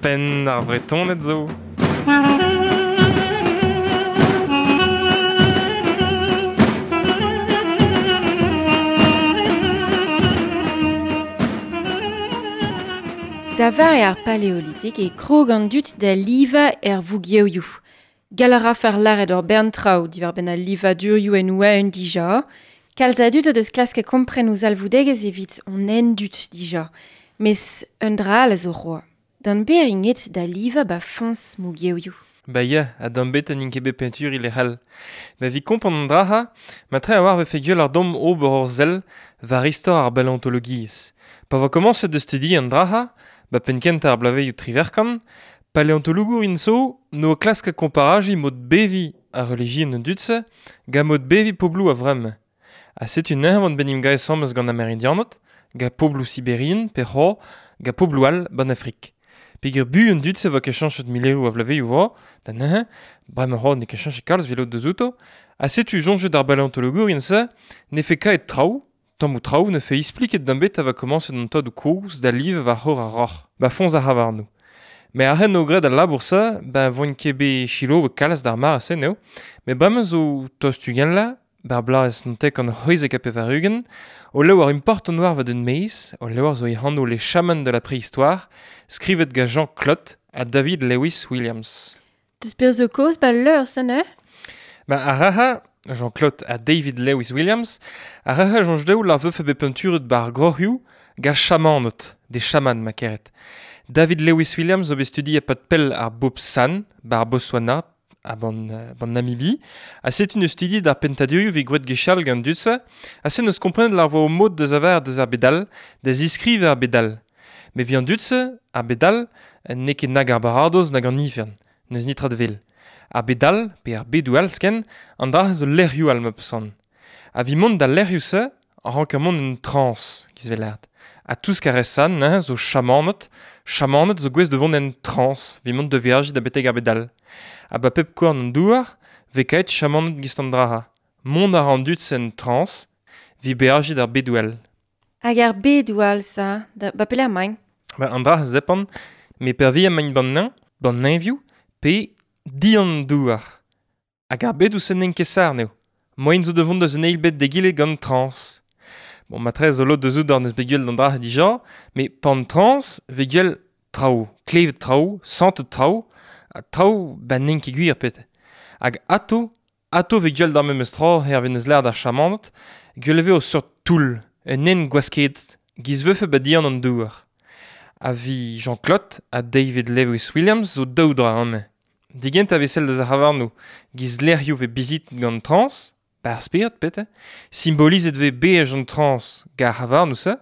Penn ar Vretoned zo. Da vare ar paleolitik e krog an dud da livañ er vougevioù. Gall a rafer lâret ur bern traoù diwar-benn al livadurioù en oa-un dija. Kalz a dud o deus klasket kompren o zalvoudegezh evit hon endud dija. Mes un dra all a zo c'hoazh. D'an ber int aet da livañ ba foñs mougevioù. Ba ya, ha d'an bet n'int ket bet peñturiñ lec'h all. Ma evit kompren an dra-ha, matre a-walc'h 'vefe gwell ar domp ober ur sell war istor ar baleontologiezh. Pa vo komañset da studiañ an dra-ha, ba penn-kentañ ar bloavezhioù triwec'h-kant, paleontologour int zo n'o klask komparajiñ mod beviñ ar relijion an dud-se gant mod beviñ pobloù a-vremañ. Ha setu neuze oant bet 'n em gavet asambles gant Ameridianed, gant pobloù Siberian pe c'hoazh gant pobloù all 'ban Afrik. Peger buan an dud-se 'vo ket cheñchet mileroù a vloavezhioù 'vo, da neuze, bremañ c'hoazh n'eo ket cheñchet kalz 'vit lod deus outo, ha setu soñjet ar baleontologourien-se 'nefe kaet traoù, tammoù traoù 'nefe ispliket d'an bet a vo komañset an tadoù-kozh da livañ war c'horr ar roc'h, 'ba foñs ar c'havarnoù. Met a-hed o graet al labour-se, ben 'voint ket bet selaouet kalz d'ar mare-se n'eo, met bremañ zo tost ugent vloaz, 'bar bloaz 1998, o levr important war war d'un maez, o levr zo e anv Les Chamans de la préhistoire, skrivet gant Jean Clottes ha David Lewis Williams. Deus perzh zo kaoz 'ba leur-se neuze? Ba ar raha, Jean Clottes ha David Lewis Williams, ar raha soñj dezho la vefe bet peñturet 'bar groc'hioù gant chamaned, des chamans ma keret. David Lewis Williams zo bet studiet e-pad pell ar bobl San, 'bar Botswana, ha ban, ban Namibie, ha setu neus studiet ar pentadurioù 'vit gwraet gwechall gant an dud-se, ha se neus komprenet lar vo o mod deus aver deus ar bed all, da ziskrivañ ar bed all. Met 'vit an dud-se, ar bed all, n'eo ket nag ar baradoz nag an ifern, n'eus netra da wel. Ar bed all, pe ar bedoù all zoken, an dra zo lec'hioù all ma peus c'hoant. Ha 'vit mont d'al lec'hioù-se, a ranker mont en trañs, giz 'vez lâret. Ha tout ce a neuze zo chamaned, chamaned zo gouest da vont en trañs, 'vit mont da veajiñ da betek ar bed all. Ha 'ba pep korn an douar 'vez kaet chamaned giz an dra-ha. Mont a ra an dud-se en trañs, 'vit beajiñ d'ar bedoù all. Hag ar bedoù all, ça, da, ba pelec'h emaint? Ba an dra a zepant, met peurvuiañ emaint 'ban neñv, 'ban neñvioù, pe dian an douar. Hag ar bedoù-se n'int ket sart eo. Moaien zo da vont deus un eil bed d'egile gant trañs. Bon, matre zo lod deus out d'ar neus bet gwell d'an dra dija, met pan trañs 'vez gwell traoù, klevet traoù, santet traoù, ha traoù ba n'int ket gwir pet. Hag ato, ato 'vez gwell d'ar memes tra hervez neus lâret ar chamaned, gwell e vez o seurt toull, un hent gwasket, giz 'vefe ba dian an douar. Ha 'vi Jean-Claude ha David Lewis Williams zo daou dra amañ. Digent a vez sell deus ar c'havarnoù, giz lec'hioù 'vez bizit gant trañs, 'ba ar spered pet, simbolizet 'vez beaj an trañs gant ar c'havarnoù-se,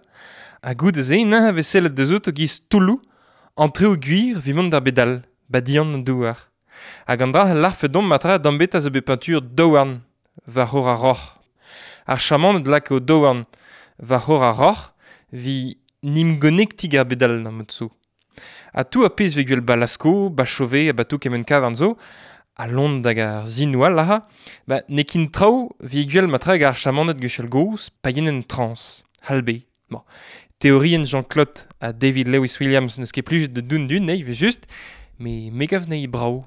ha goude-se neuze 'vez sellet deus outo giz toulloù, an traoù gwir 'vit mont d'ar bed all, 'ba dian an douar. Hag an dra a lârfe domp matre d'an bet a zo bet peñtur daouarn war c'horr ar roc'h. Ar chamaned 'laka o daouarn war c'horr ar roc'h 'vit 'n em gonektiñ g'ar bed all d'ar mod-se. Ha tout ar pezh 'vez gwell 'ba Lascaux, 'ba Chauvet ha 'ba tout kement kavarn zo, ha Londr hag ar sinoù all aze, ba n'eo ket traoù 'vit gwell matre hag ar chamaned gwechall-gozh pa yen en trañs, c'hall bet. Bon, teorienn Jean-Claude ha David Lewis Williams n'eus ket plijet da doun dun, evel-just, met me 'gav anezhi brav.